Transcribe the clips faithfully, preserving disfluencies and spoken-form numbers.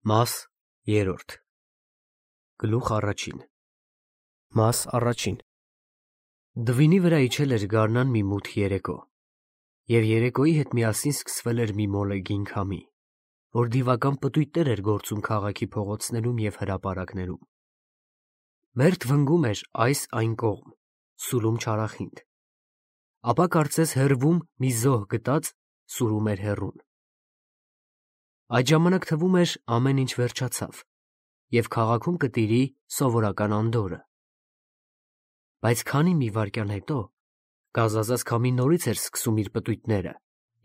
Մաս երրորդ Գլուխ առաջին Մաս առաջին Դվինի վրա իջել էր գարնան մի մութ երեկո, և երեկոյի հետ միասին սկսվել էր մի մոլեգին քամի, որ դիվական պտույտներ էր գործում քաղաքի փողոցներում և հրապարակներում։ Մերթ վնգում էր այս այն կողմ, սուլում չարախինդ, ապա կարծես հեռվում մի զոհ գտած սուրում էր հեռուն։ Այդ ժամանակ թվում էր ամեն ինչ վերջացավ, և քաղաքում կտիրի սովորական անդորրը։ Բայց քանի մի վայրկյան հետո գազազած քամին նորից էր սկսում իր պտույտները,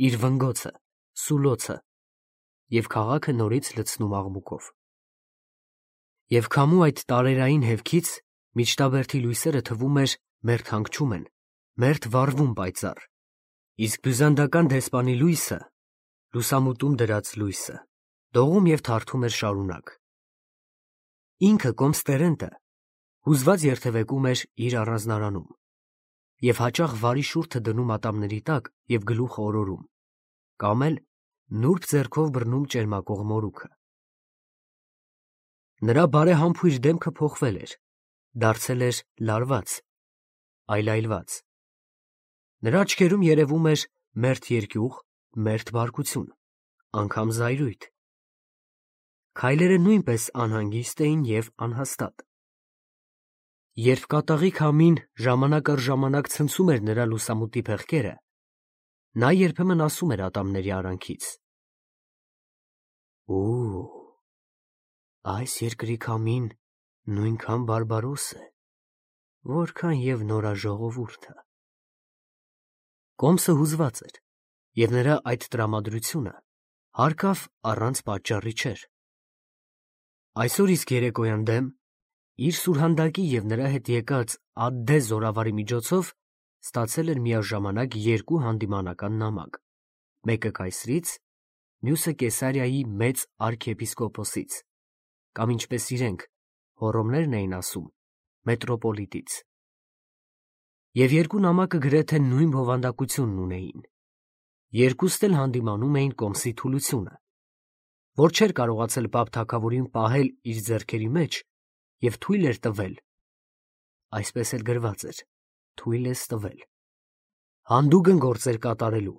իր վնգոցը, սուլոցը, և քաղաքը նորից լցնում աղմուկով։ Եվ քամու այդ տարերային հևքից միջտաբերդի լույսերը թվում էր մերթ հանգչում են, մերթ վառվում պայծառ, իսկ բյուզանդական դեսպանի լույսը, լուսամուտում դրած լույսը, դողում և թարթում էր շարունակ։ Ինքը Կոմստերենտը հուզված երթևեկում էր իր առանձնարանում և հաճախ վարի շուրթը դնում ատամների տակ և գլուխը օրորում, կամ էլ նուրբ ձեռքով բռնում ճերմակող մորուքը։ Նրա բարեհամբույր դեմքը փոխվել էր, դարձել էր լարված, այլայլված։ Նրա աչքերում երևում էր մերթ երկյուղ, մերթ բարկություն, անգամ զայրույթ։ Քայլերը նույնպես անհանգիստ էին և անհաստատ։ Երբ կատաղի քամին ժամանակ առ ժամանակ ցնցում էր նրա լուսամուտի փեղկերը, նա երբեմն ասում էր ատամների արանքից. «Ու, այս երկրի քամին նույնքան բարբարոս է, որքան և նորաժողովուրդը»։ Կոմսը հուզված էր, և նրա այդ տրամադրությունը հարկավ առանց պատճառի չէր։ Այսօր իսկ երեկոյան դեմ, իր սուրհանդակի և նրա հետ եկած ադդե զորավարի միջոցով ստացել էր միաժամանակ երկու հանդիմանական նամակ, մեկը կայսրից, մյուսը Կեսարիայի մեծ արքիեպիսկոպոսից, կամ ինչպես իրենք, հոռոմներն էին ասում, մետրոպոլիտից։ Եվ երկու նամակը գրեթե նույն բովանդակությունն ունեին. երկուստ էլ հանդիմանում էին Կոմսի թուլությունը, որ չէր կարողացել պապ թագավորին պահել իր ձեռքերի մեջ և թույլ էր տվել (այսպես էլ գրված էր. թույլ ես տվել) հանդուգն գործեր կատարելու։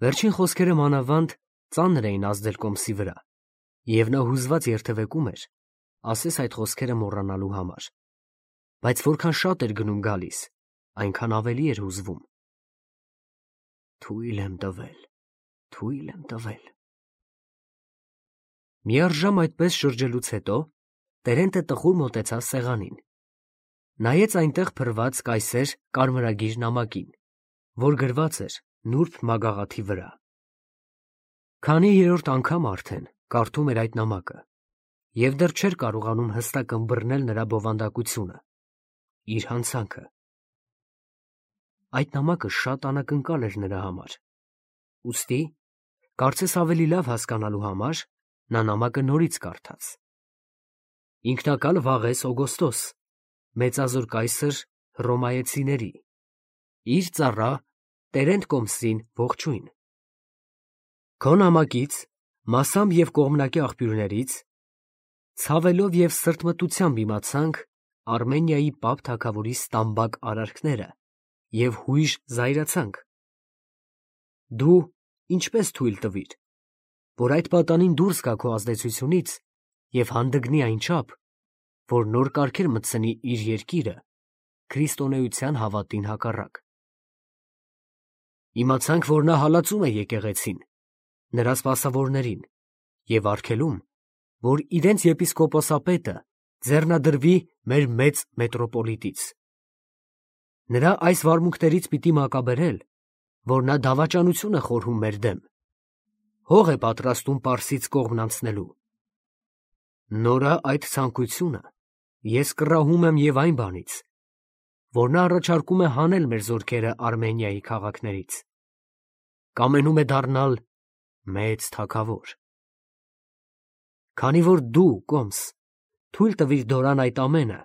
Վերջին խոսքերը մանավանդ ծանր էին ազդել Կոմսի վրա, և նա հուզված երթևեկում էր, ասես այդ խոսքերը մոռանալու համար, բայց որքան շատ էր գնում գալիս, այնքան ավելի էր հուզվում։ Թույլ եմ տվել, թույլ եմ տվել։ Միառժամ այդպես շրջելուց հետո Տերենտը տխուր մոտեցավ սեղանին, նայեց այնտեղ փռված կայսեր կարմրագիր նամակին, որ գրված էր նուրբ մագաղաթի վրա։ Քանի երրորդ անգամ արդեն կարդում էր այդ նամակը և դեռ չէր կարողանում հստակ ըմբռնել նրա բովանդակությունը, իր հանցանքը։ Այդ նամակը շատ անակնկալ էր նրա համար, ուստի, կարծես ավելի լավ հասկանալու համար, նա նամակը նորից կարդաց. Ինքնակալ Վաղես Օգոստոս, մեծազոր կայսր հռոմայեցիների, իր ծառա Տերենտ Կոմսին ողջույն։ Քո նամակից, մասամբ և կողմնակի աղբյուրներից, ցավելով և սրտմտությամբ իմացանք Արմենիայի պապ թագավորի ստամբակ արարքները և հույժ զայրացանք։ Դու ինչպես թույլ տվիր, որ այդ պատանին դուրս գա քո ազդեցությունից և հանդգնի այնչափ, որ նոր կարգեր մտցնի իր երկիրը քրիստոնեության հավատին հակառակ։ Իմացանք, որ նա հալածում է եկեղեցին, նրա սպասավորներին, և արգելում, որ իրենց եպիսկոպոսապետը ձեռնադրվի մեր մեծ մետրոպոլիտից։ Նրա այս վարմունքներից պիտի մակաբերել, որ նա դավաճանություն է խորհում մեր դեմ, հող է պատրաստում Պարսից կողմն անցնելու։ Նորա այդ ցանկությունը ես կռահում եմ և այն բանից, որ նա առաջարկում է հանել մեր զորքերը Արմենիայի քաղաքներից, կամենում է դառնալ մեծ թագավոր։ Քանի որ դու, Կոմս, թույլ տվիր Դորան այդ ամենը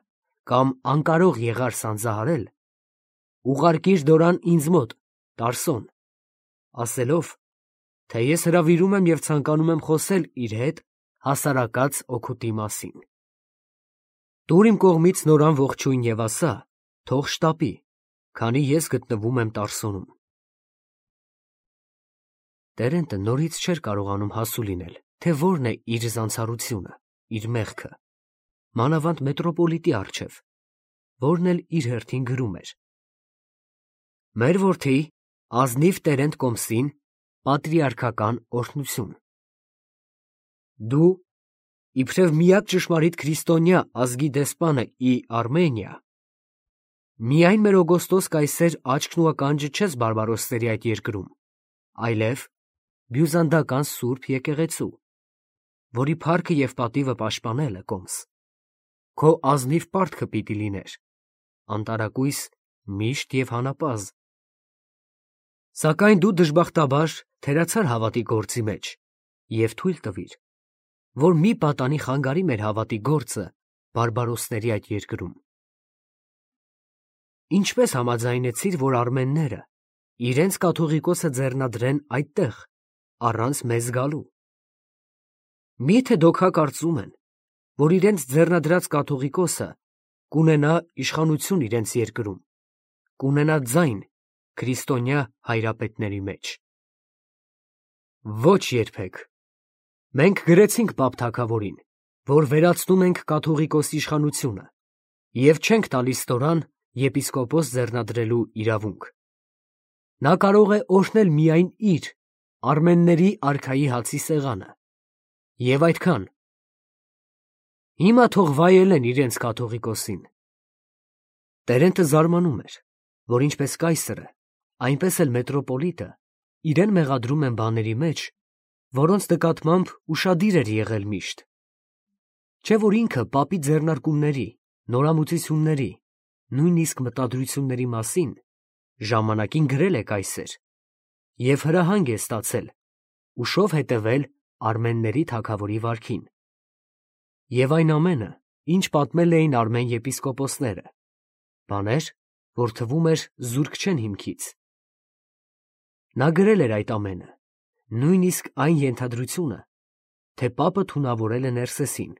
կամ անկարող եղար սանձահարել, ուղարկիր Դորան ինձ մոտ, Տարսոն, ասելով, թե ես հրավիրում եմ և ցանկանում եմ խոսել իր հետ հասարակած օգուտի մասին։ Տուր իմ կողմից նորան ողջույն եւ ասա, թող շտապի, քանի ես գտնվում եմ Տարսոնում։ Տերենտը նորից չէր կարողանում հասու լինել, թե որն է իր զանցառությունը, իր մեղքը, մանավանդ մետրոպոլիտի առջև, որն էլ իր հերթին գրում էր. Մեր որդի ազնիվ Տերենտ Կոմսին պատրիարքական օրհնություն։ Դու, իբրև միակ ճշմարիտ քրիստոնյա ազգի դեսպանը ի Արմենիա, միայն մեր Օգոստոս կայսեր աչքն ու ականջը չես բարբարոսների այդ երկրում, այլև բյուզանդական սուրբ եկեղեցու, որի փառքը և պատիվը պաշտպանելը, Կոմս, քո ազնիվ պարտքը պիտի լիներ, անտարակույս, միշտ և հանապազը։ Սակայն դու դժբախտաբար թերացար հավատի գործի մեջ և թույլ տվիր, որ մի պատանի խանգարի մեր հավատի գործը բարբարոսների այդ երկրում։ Ինչպես համաձայնեցիր, որ արմենները իրենց կաթողիկոսը ձեռնադրեն այդտեղ, առանց մեզ գալու։ Մի՞թե դոքա կարծում են, որ իրենց ձեռնադրած կաթողիկոսը կունենա իշխանություն իրենց երկրում, կունենա ձայն քրիստոնյա հայրապետների մեջ։ Ոչ երբեք։ Մենք գրեցինք պապ թագավորին, որ վերացնում ենք կաթողիկոսի իշխանությունը և չենք տալիս ստորան եպիսկոպոս ձեռնադրելու իրավունք։ Նա կարող է օրհնել միայն իր, արմենների արքայի հացի սեղանը, և այդքան։ Հիմա թող վայելեն իրենց կաթողիկոսին։ Տերենտը զարմանում էր, որ ինչպես կայսրը, այնպես էլ մետրոպոլիտը իրեն մեղադրում են բաների մեջ, որոնց նկատմամբ ուշադիր էր եղել միշտ։ Չէ՞ որ ինքը պապի ձեռնարկումների, նորամուծությունների, նույնիսկ մտադրությունների մասին ժամանակին գրել է կայսեր և հրահանգ է ստացել ուշով հետևել արմենների թագավորի վարքին։ Եվ այն ամենը, ինչ պատմել էին արմեն եպիսկոպոսները, բաներ, որ թվում էր զուրկ չեն հիմքից։ Նա գրել էր այդ ամենը, նույնիսկ այն ենթադրությունը, թե պապը թունավորել է Ներսեսին,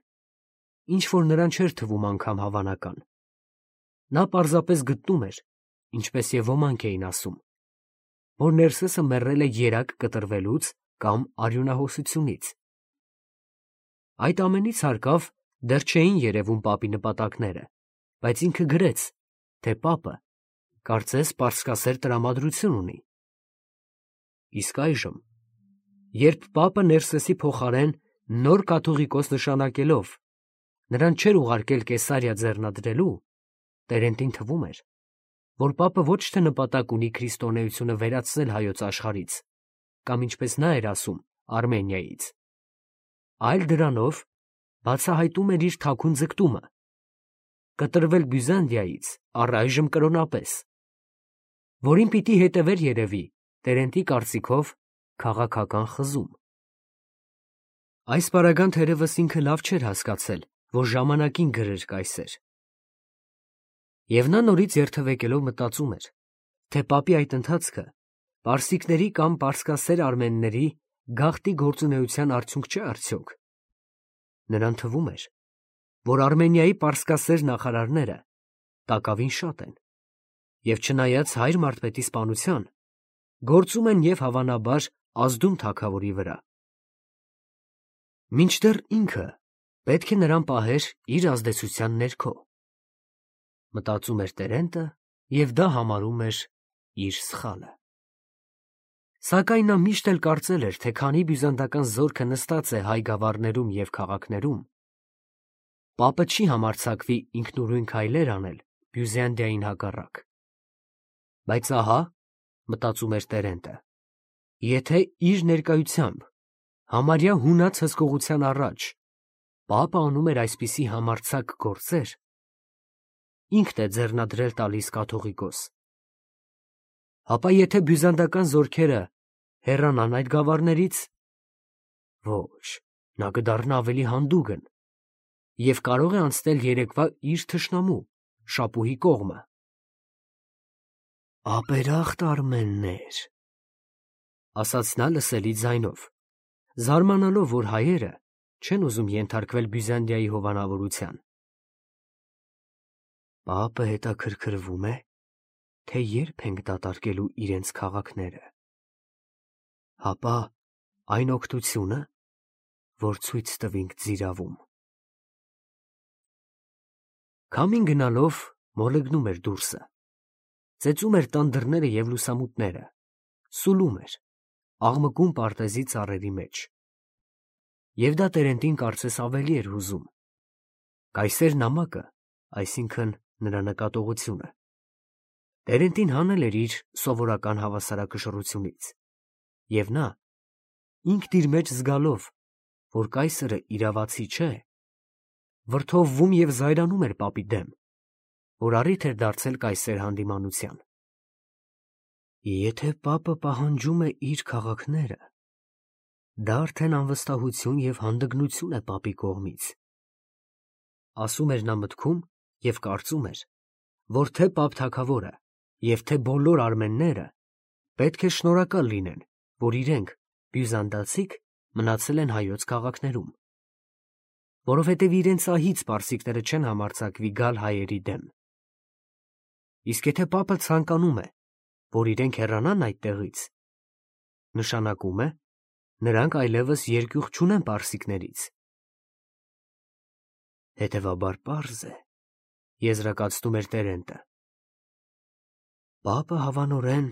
ինչ որ նրան չէր թվում անգամ հավանական։ Նա պարզապես գտնում էր, ինչպես և ոմանք էին ասում, որ Ներսեսը մեռել է երակ կտրվելուց կամ արյունահոսությունից։ Այդ ամենից հարկավ դեռ չէին երևում պապի նպատակները, բայց ինքը գրեց, թե պապը կարծես պարսկասեր տրամադրություն ունի։ Իսկ այժմ, երբ պապը Ներսեսի փոխարեն նոր կաթողիկոս նշանակելով, նրան չէր ուղարկել Կեսարիա ձեռնադրելու, Տերենտին թվում էր, որ պապը ոչ թե նպատակ ունի քրիստոնեությունը վերացնել հայոց աշխարհից, կամ ինչպես նա էր ասում, Արմենիայից, այլ դրանով բացահայտում էր իր թաքուն ձգտումը, կտրվել Բյուզանդիայից առայժմ կրոնապես, որին պիտի հետևեր երևի, Տերենտի կարծիքով, քաղաքական խզում։ Այս պարագան թերևս ինքը լավ չէր հասկացել, որ ժամանակին գրեր կայսեր։ Եվ նա նորից երթևեկելով մտածում էր, թե պապի այդ ընթացքը պարսիկների կամ պարսկասեր արմենների գաղտնի գործունեության արդյունք չէ արդյոք։ Նրան թվում էր, որ Արմենիայի պարսկասեր նախարարները տակավին շատ են, և չնայած հայր մարդպետի սպանության, գործում են և հավանաբար ազդում թագավորի վրա։ Մինչդեռ ինքը պետք է նրան պահեր իր ազդեցության ներքո, մտածում էր Տերենտը և դա համարում էր իր սխալը։ Սակայն նա միշտ էլ կարծել էր, թե քանի բյուզանդական զորքը նստած է հայ գավառներում և քաղաքներում, պապը չի համարձակվի ինքնուրույն քայլեր անել Բյուզանդիային հակառակ։ Բայց ահա, մտածում էր Տերենտը, եթե իր ներկայությամբ, համարյա հունած հսկողության առաջ, պապը անում էր այսպիսի համարձակ գործեր, ինքն է ձեռնադրել տալիս կաթողիկոս, ապա եթե բյուզանդական զորքերը հեռանան այդ գավառներից, ոչ, նա կդառնա ավելի հանդուգն և կարող է անցնել երեկվա իր թշնամու Շապուհի կողմը։ Ապերախտ արմեններ, ասաց նա լսելի ձայնով, զարմանալով, որ հայերը չեն ուզում ենթարկվել Բյուզանդիայի հովանավորության։ Պապը հետաքրքրվում է, թե երբ ենք դատարկելու իրենց քաղաքները։ Հապա այն օգնությունը, որ ցույց տվինք ձիրավում։ Քամին գնալով մոլեգնում էր դուրսը, ծեծում էր տան դռները և լուսամուտները, սուլում էր, աղմկում պարտեզի ծառերի մեջ։ Եվ դա Տերենտին կարծես ավելի էր հուզում։ Կայսեր նամակը, այսինքն նրա նկատողությունը, Տերենտին հանել էր իր սովորական հավասարակշռությունից, և նա, ինքն իր մեջ զգալով, որ կայսրը իրավացի չէ, վրդովվում և զայրանում էր պապի դեմ, որ առիթ էր դարձել կայսեր հանդիմանության։ Եթե պապը պահանջում է իր քաղաքները, դա արդեն անվստահություն և հանդգնություն է պապի կողմից, ասում էր նա մտքում և կարծում էր, որ թե պապ թագավորը և թե բոլոր արմենները պետք է շնորհակալ լինեն, որ իրենք, բյուզանդացիք, մնացել են հայոց քաղաքներում, որովհետև իրենց ահից պարսիկները չեն համարձակվի գալ հայերի դեմ։ Իսկ եթե պապը ցանկանում է, որ իրենք հեռանան այդտեղից, նշանակում է, նրանք այլևս երկյուղ չունեն պարսիկներից։ Հետևաբար պարզ է, եզրակացնում էր Տերենտը, պապը հավանորեն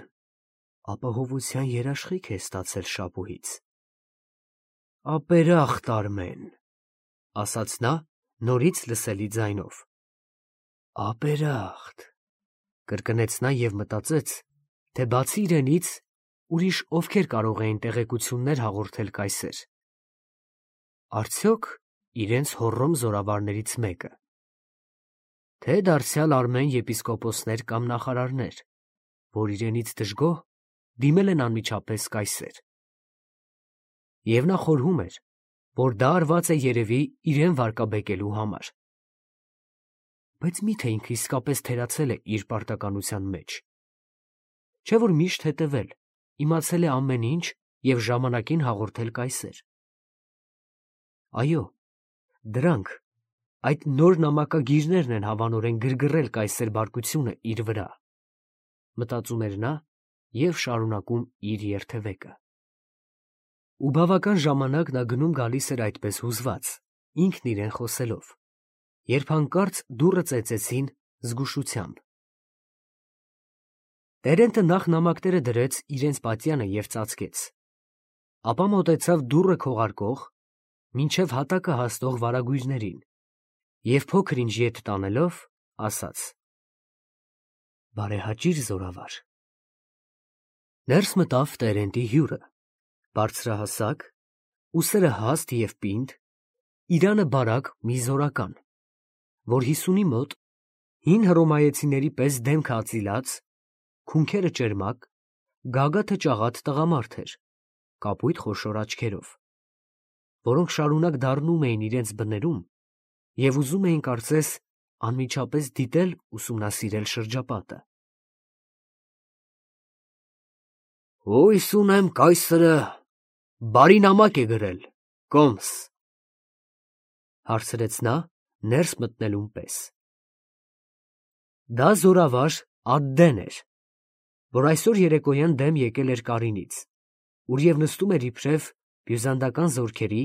ապահովության երաշխիք է ստացել շապուհից։ Ապերախտ Արմեն, ասաց նա նորից լսելի ձայնով։ Ապերախտ, կրկնեց նա և մտածեց, թե բացի իրենից ուրիշ ովքեր կարող էին տեղեկություններ հաղորդել կայսեր։ Արդյոք իրենց հոռոմ զորավարներից մեկը, թե դարձյալ արմեն եպիսկոպոսներ կամ նախարարներ, որ իրենից դժգոհ դիմել են անմիջապես կայսեր։ Եվ նա խորհում էր, որ դա արված է երևի իրեն վարկաբեկելու համար։ Բայց մի՞թե ինքը իսկապես թերացել է իր պարտականության մեջ։ Չէ՞ որ միշտ հետևել, իմացել է ամեն ինչ և ժամանակին հաղորդել կայսեր։ Այո, դրանք, այդ նոր նամակագիրներն են հավանորեն գրգռել կայսեր բարկությունը իր վրա, մտածում էր նա և շարունակում իր երթևեկը։ Ու բավական ժամանակ նա գնում֊գալիս էր այդպես հուզված, ինքն իրեն խոսելով, երբ հանկարծ դուռը ծեծեցին զգուշությամբ։ Տերենտը նախ նամակները դրեց իրենց պատյանը և ծածկեց, ապա մոտեցավ դուռը քողարկող, մինչև հատակը հասնող վարագույրներին և փոքր ինչ ետ տանելով, ասաց. Բարեհաճիր, զորավար։ Ներս մտավ Տերենտի հյուրը, բարձրահասակ, ուսերը հաստ և պինդ, իրանը բարակ մի զորական, որ հիսունի մոտ, հին հռոմայեցիների պես դեմքըածիլած, քունքերը ճերմակ, գագաթը ճաղատ տղամարդ էր, կապույտ խոշոր աչքերով, որոնք շարունակ դառնում էին իրենց բներում և ուզում էին կարծես անմիջապես դիտել ուսումնասիրել շրջապատը։ Հույս ունեմ կայսրը բարի նամակ է գրել, կոմս, հարցրեց նա ներս մտնելուն պես։ Դա զորավար Ադդեն էր, որ այսօր երեկոյան դեմ եկել էր Կարինից, ուր և նստում էր իբրև բյուզանդական զորքերի,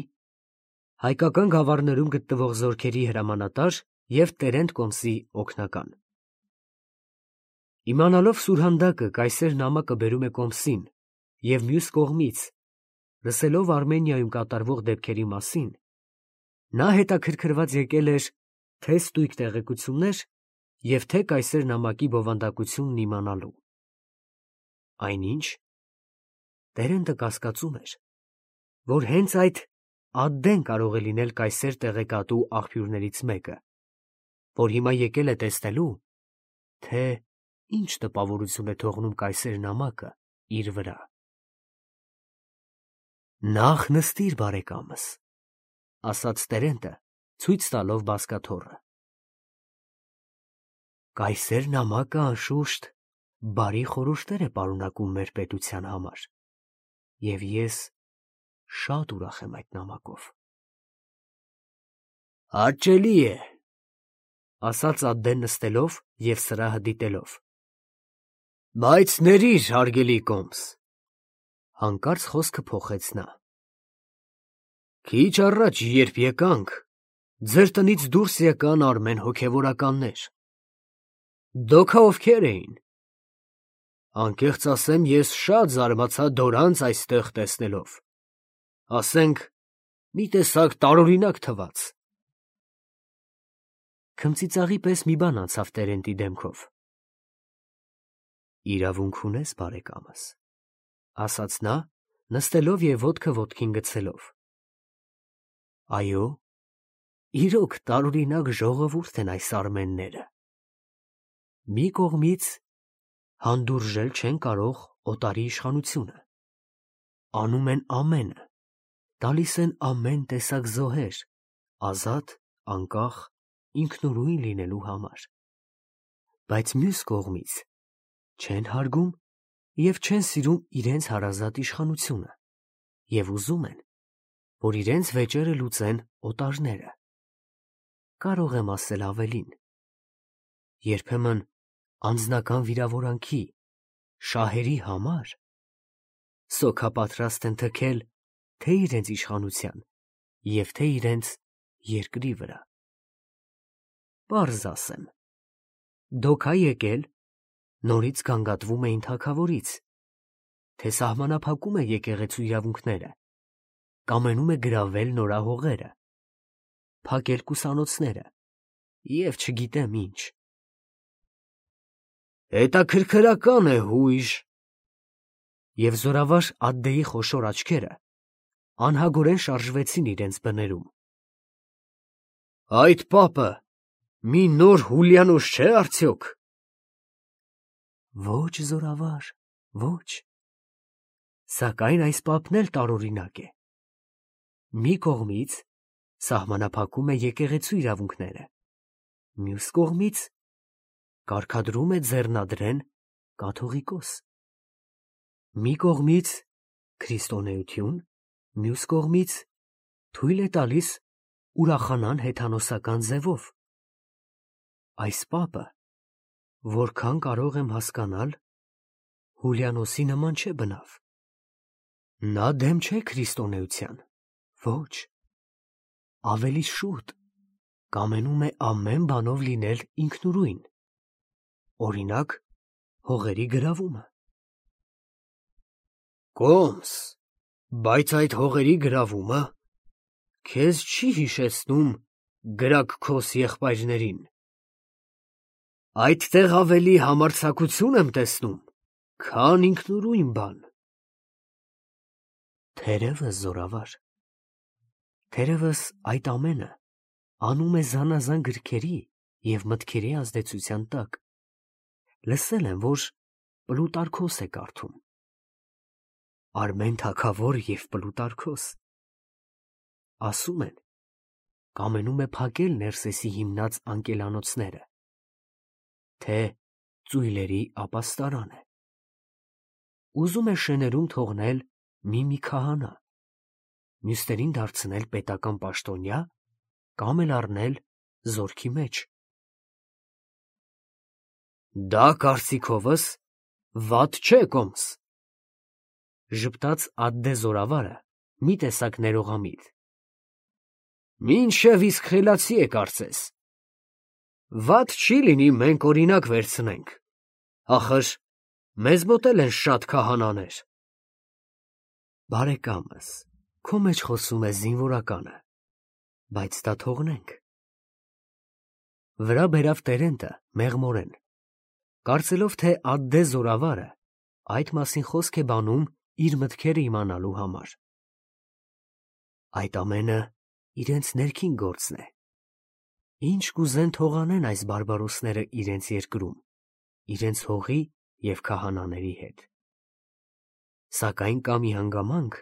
հայկական գավառներում գտնվող զորքերի հրամանատար և Տերենտ կոմսի օգնական։ Իմանալով սուրհանդակը կայսեր նամակը բերում է կոմսին և մյուս կողմից, լսելով Արմենիայում կատարվող դեպքերի մասին, նա հետաքրքրված եկել էր թե՛ ստույգ տեղեկություններ և թե՛ կայսեր նամակի բովանդակությունն իմանալու։ Այնինչ, Տերենտը կասկածում էր, որ հենց այդ Ադդեն կարող է լինել կայսեր տեղեկատու աղբյուրներից մեկը, որ հիմա եկել է տեսնելու, թե ինչ տպավորություն է թողնում կայսեր նամակը իր վրա։ Նախ նստիր, բարեկամս, ասաց Տերենտը, ցույց տալով բազկաթոռը։ Կայսեր նամակը, անշուշտ, բարի խորհուրդներ է պարունակում մեր պետության համար, և ես շատ ուրախ եմ այդ նամակով։ Հաճելի է, ասաց Ադդեն նստելով և սրահը դիտելով։ Բայց ներիր, հարգելի Կոմս, հանկարծ խոսքը փոխեց նա։ Քիչ առաջ, երբ եկանք, ձեր տնից դուրս եկան արմեն հոգևորականներ։ Դոքա ովքեր էին։ Անկեղծ ասեմ, ես շատ զարմացա դորանց այստեղ տեսնելով, ասենք, մի տեսակ տարօրինակ թվաց։ Քմծիծաղի պես մի բան անցավ Տերենտի դեմքով։ Իրավունք ունես, բարեկամս, ասաց նա, նստելով և ոտքը ոտքին գցելով։ Այո, իրոք տարօրինակ ժողովուրդ են այս արմենները։ Մի կողմից հանդուրժել չեն կարող օտարի իշխանությունը, անում են ամենը, տալիս են ամեն տեսակ զոհեր, ազատ, անկախ, ինքնուրույն լինելու համար, բայց մյուս կողմից չեն հարգում և չեն սիրում իրենց հարազատ իշխանությունը և ուզում են, որ իրենց վեճերը լուծեն օտարները։ Կարող եմ ասել ավելին. երբեմն անձնական վիրավորանքի, շահերի համար սոքապատրաստ են թքել թե իրենց իշխանության և թե իրենց երկրի վրա։ Պարզ ասեմ, դոքա եկել, նորից գանգատվում էին թագավորից, թե սահմանափակում է եկեղեցու իրավունքները, կամենում է գրավել նորահողերը, փակել կուսանոցները և չգիտեմ ինչ։ Հետաքրքրական է, հույժ։ Եվ զորավար Ադդեի խոշոր աչքերը անհագորեն շարժվեցին իրենց բներում։ Այդ պապը մի նոր Հուլիանոս չէ՞ արդյոք։ Ոչ, զորավար, ոչ։ Սակայն այս պապն էլ տարօրինակ է։ Մի կողմից սահմանափակում է եկեղեցու իրավունքները, մյուս կողմից կարգադրում է ձեռնադրեն կաթողիկոս։ Մի կողմից քրիստոնեություն, մյուս կողմից թույլ է տալիս ուրախանան հեթանոսական ձևով։ Այս պապը, որքան կարող եմ հասկանալ, Հուլիանոսի նման չէ բնավ։ Նա դեմ չէ քրիստոնեության, ոչ, ավելի շուտ, կամենում է ամեն բանով լինել ինքնուրույն, օրինակ, հողերի գրավումը։ Կոմս, բայց այդ հողերի գրավումը քեզ չի հիշեցնում Գրաքքոս եղբայրներին։ Այդտեղ ավելի համարձակություն եմ տեսնում, քան ինքնուրույն բան։ Թերևս, զորավար, թերևս այդ ամենը անում է զանազան գրքերի և մտքերի ազդեցության տակ։ Լսել եմ, որ Պլուտարքոս է կարդում։ Արմեն թագավոր և Պլուտարքոս։ Ասում են, կամենում է փակել Ներսեսի հիմնած անկելանոցները, թե ծույլերի ապաստարան է։ Ուզում է շեներում թողնել մի-մի քահանա, մյուսներին դարձնել պետական պաշտոնյա կամ էլ առնել զորքի մեջ։ Դա կարծիքովս վատ չէ, Կոմս, ժպտաց Ադդե զորավարը մի տեսակ ներողամիտ։ Մինչև իսկ խելացի է կարծես։ Վատ չի լինի մենք օրինակ վերցնենք, ախր մեզ մոտ էլ են շատ քահանաներ։ Բարեկամս, քո մեջ խոսում է զինվորականը, բայց դա թողնենք։ Վրա բերավ Տերենտը մեղմորեն, կարծելով, թե Ադդե զորավարը այդ մասին խոսք է բանում իր մտքերը իմանալու համար։ Այդ ամենը իրենց ներքին գործն է։ Ինչ կուզեն թող անեն այս բարբարոսները իրենց երկրում, իրենց հողի և քահանաների հետ։ Սակայն կա մի հանգամանք,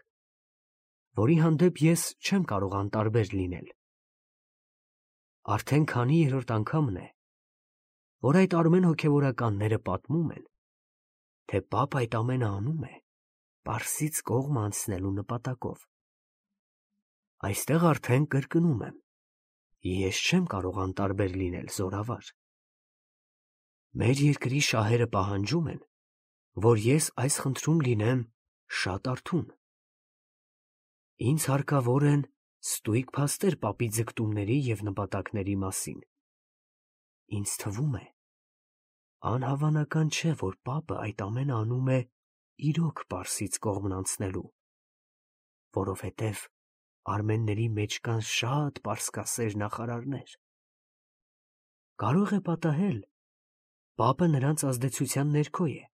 որի հանդեպ ես չեմ կարող անտարբեր լինել։ Արդեն քանի երրորդ անգամն է, որ այդ արմեն հոգևորականները պատմում են, թե պապ այդ ամենը անում է Պարսից կողմ անցնելու նպատակով։ Այստեղ արդեն կրկնում եմ, Ես չեմ կարող անտարբեր լինել, զորավար։ Մեր երկրի շահերը պահանջում են, որ ես այս խնդրում լինեմ շատ արթուն։ Ինձ հարկավոր են ստույգ փաստեր պապի ձգտումների և նպատակների մասին։ Ինձ թվում է, անհավանական չէ, որ պապը այդ ամենը անում է իրոք Պարսից կողմն անցնելու, որովհետև արմենների մեջ կան շատ պարսկասեր նախարարներ։ Կարող է պատահել, պապը նրանց ազդեցության ներքո է,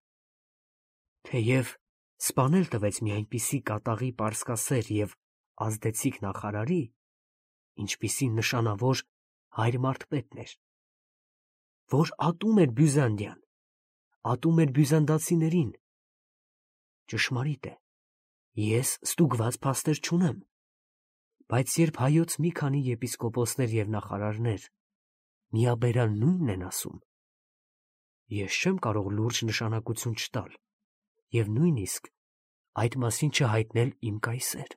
թեև սպանել տվեց մի այնպիսի կատաղի պարսկասեր և ազդեցիկ նախարարի, ինչպիսին նշանավոր հայր մարդպետն էր, որ ատում էր Բյուզանդիան, ատում էր բյուզանդացիներին։ Ճշմարիտ է, ես ստուգված փաստեր չունեմ, բայց երբ հայոց մի քանի եպիսկոպոսներ և նախարարներ միաբերան նույնն են ասում, ես չեմ կարող լուրջ նշանակություն չտալ և նույնիսկ այդ մասին չհայտնել իմ կայսեր։